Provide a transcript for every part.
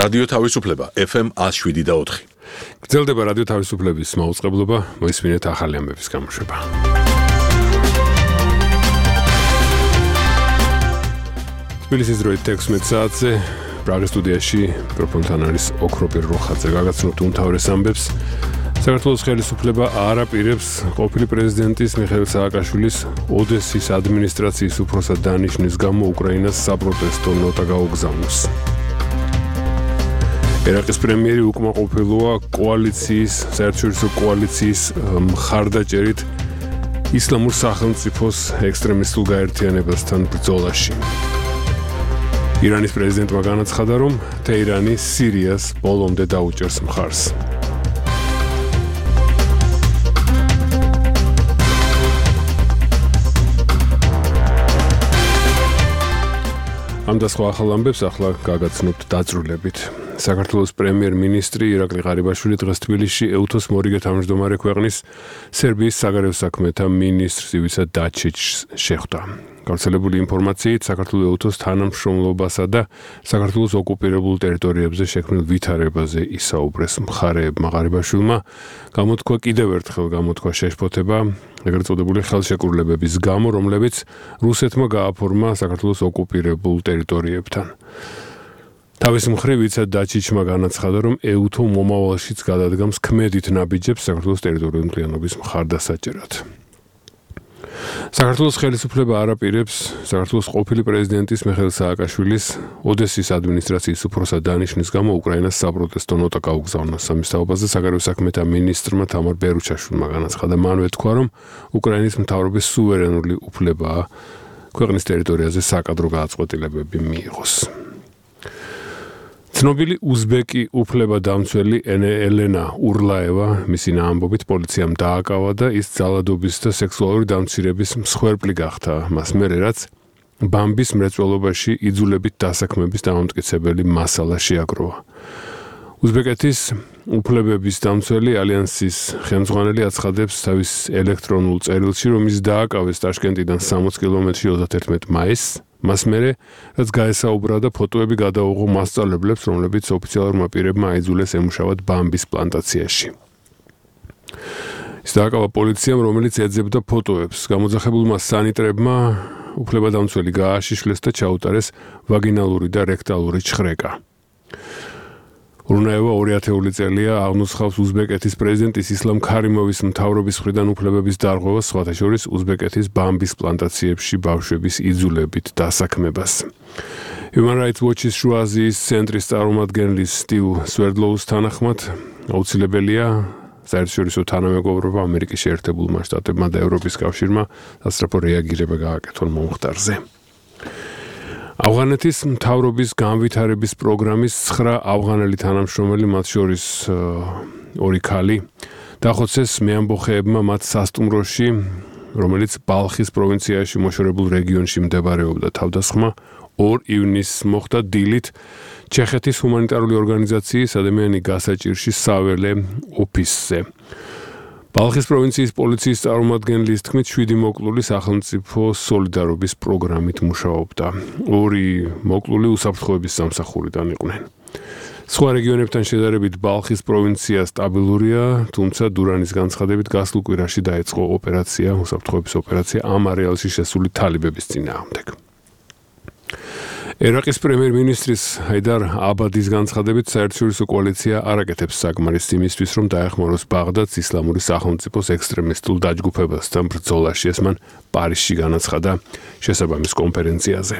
რადიო თავისუფლება FM 107.4. გრძელდება რადიო თავისუფლების მაუწყებლობა, მოისმინეთ ახალი ამბების გამოშვება. თბილისის დროით 16 საათზე პრაღის სტუდიაში მიკროფონთან არის ოქროპირ როხაძე. გაგაცნობთ უმთავრეს ამბებს. საქართველოს ხელისუფლება არ აპირებს ყოფილი პრეზიდენტის მიხეილ სააკაშვილის ოდესის ადმინისტრაციის უფროსად დანიშნვის გამო უკრაინას საპროტესტო ნოტა გაუგზავნოს. ერაყის პრემიერი უკმაყოფილოა კოალიციის, საერთაშორისო კოალიციის მხარდაჭერით ისლამურ სახელმწიფოს ექსტრემისტულ გაერთიანებასთან ბრძოლაში. ირანის პრეზიდენტმა განაცხადა, რომ თეირანი სირიას ბოლომდე დაუჭერს მხარს. ამ და სხვა ახალ ამბებს ახლა გაგაცნობთ დაწვრილებით. საქართველოს პრემიერ-მინისტრი ირაკლი ღარიბაშვილი დღეს თბილისში ეუთოს მორიგე თავმჯდომარე ქვეყნის სერბიის საგარეო საქმეთა მინისტრს ივიცა დაჩიჩს შეხვდა. გავრცელებული ინფორმაციით საქართველოს ეუთოს თანამშრომლობასა და საქართველოს ოკუპირებულ ტერიტორიებზე შექმნილ ვითარებაზე ისაუბრეს მხარეებმა. ღარიბაშვილმა გამოთქვა კიდევ ერთხელ შეშფოთება ეგრეთ წოდებული ხელშეკრულებების გამო, რომლებიც რუსეთმა გააფორმა საქართველოს ოკუპირებულ ტერიტორიებთან. თავის მხრივ ვიცა დაჩიჩმა განაცხადა, რომ ეუთო მომავალშიც გადადგამს ქმედით ნაბიჯებს საქართველოს ტერიტორიული მთლიანობის მხარდასაჭერად. საქართველოს ხელისუფლება არ აპირებს საქართველოს ყოფილი პრეზიდენტის მიხეილ სააკაშვილის ოდესის ადმინისტრაციის უფროსად დანიშნვის გამო უკრაინას საპროტესტო ნოტა გაუგზავნოს. ამის თაობაზე საგარეო საქმეთა მინისტრმა თამარ ბერუჩაშვილმა განაცხადა, მანვე თქვა, რომ უკრაინის მთავრობის სუვერენული უფლებაა ქვეყნის ტერიტორიაზე საკადრო გააწყვეტილებები მიიღოს. ცნობილი უზბეკი უფლებადამცველი ელენა ურლაევა მისი ამბობით პოლიციამ დააკავა და ის ძალადობის და სექსუალური დამცირების მსხვერპლი გახდა. მას მერე რაც ბამბის მრეწველობაში იძულებით დასაქმების დამამტკიცებელი მასალა შეაგროვა. უზბეკეთის უფლებების დამცველი ალიანსის ხელმძღვანელი აცხადებს თავის ელექტრონულ წერილში, რომ ის დააკავეს ტაშკენტიდან 60 კილომეტრში 31 მაისს. მას მერე, რაც გაესაუბრა და ფოტოები გადაუღო მასწავლებლებს, რომლებიც ოფიციალურმა პირებმა აიძულეს ემუშავათ ბამბის პლანტაციაში. ის დააკავა პოლიციამ, რომელიც ეძებდა ფოტოებს. გამოძახებულმა სანიტრებმა უფლებადამცველი გააშიშვლეს და ჩაუტარეს ვაგინალური და რექტალური ჩხრეკა. ურნაევა 2000 წელია აღნუცხავს უზბეკეთის პრეზიდენტის ისლამ ქარიმოვის მთავრობის მხრიდან უფლებების დარღვევას, სხვათა შორის უზბეკეთის ბამბის პლანტაციებში ბავშვების იძულებით დასაქმებას. Human Rights Watch-ის შუა აზიის ცენტრის წარმომადგენლის სტივ სვერდლოუს თანახმად აუცილებელია საერთაშორისო თანამეგობრობა ამერიკის შეერთებულმა შტატებმა და ევროპის კავშირმა სასწრაფო რეაგირება გააკეთონ მომხდარზე. ავღანეთის მთავრობის განვითარების პროგრამის 9 ავღანელი თანამშრომელი, მათ შორის 2 ქალი, დახოცეს მეამბოხეებმა მათ სასტუმროში, რომელიც ბალხის პროვინციაში მოშორებულ რეგიონში მდებარეობდა. თავდასხმა 2 ივნისს მოხდა დილით ჩეხეთის ჰუმანიტარული ორგანიზაციის ადამიანი გასაჭირში საველე ოფისზე. ბალხის პროვინციის პოლიციის წარმომადგენლის თქმით 7 მოკლული სახელმწიფო სოლიდარობის პროგრამით მუშაობდა. 2 მოკლული უსაფრთხოების სამსახურიდან იყვნენ. სხვა რეგიონებთან შედარებით ბალხის პროვინცია სტაბილურია, თუმცა დურანის განცხადებით გასულ კვირაში დაიწყო უსაფრთხოების ოპერაცია ამ არეალში შესული თალიბების წინააღმდეგ. ერაყის პრემიერ-მინისტრის ჰაიდარ აბადის განცხადებით საერთაშორისო კოალიცია არ აკეთებს საკმარისს იმისთვის, რომ დაეხმაროს ბაღდადს ისლამური სახელმწიფოს ექსტრემისტულ დაჯგუფებასთან ბრძოლაში. ეს მან პარიზში განაცხადა შესაბამის კონფერენციაზე.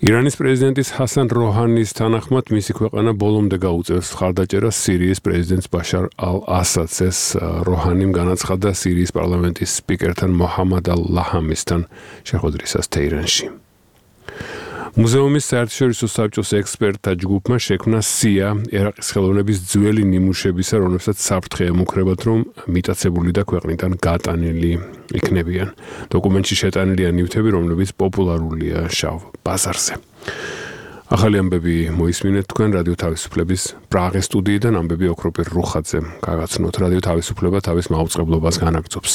ირანის პრეზიდენტის ჰასან როჰანის თანახმად მისი ქვეყანა ბოლომდე გაუწევს მხარდაჭერას სირიის პრეზიდენტს ბაშარ ალ-ასადს. ეს როჰანიმ განაცხადა სირიის პარლამენტის სპიკერთან მოჰამად ალ-ლაჰამისთან შეხვედრისას თეირანში. მუზეუმის საერთაშორისო საბჭოს ექსპერტთა ჯგუფმა შექმნა სია ერაყის ხელოვნების ძველი ნიმუშებისა, რომლებსაც საფრთხე ემუქრებათ, რომ მიტაცებული და ქვეყნიდან გატანილი იქნებიან. დოკუმენტში შეტანილია ნივთები, რომლებიც პოპულარულია შავ ბაზარზე. ახალი ამბები მოისმინეთ თქვენ რადიო თავისუფლების პრაღის სტუდიიდან. ამბები ოქროპირ როხაძემ გაგაცნოთ. რადიო თავისუფლება თავის მაუწყებლობას განაგრძობს.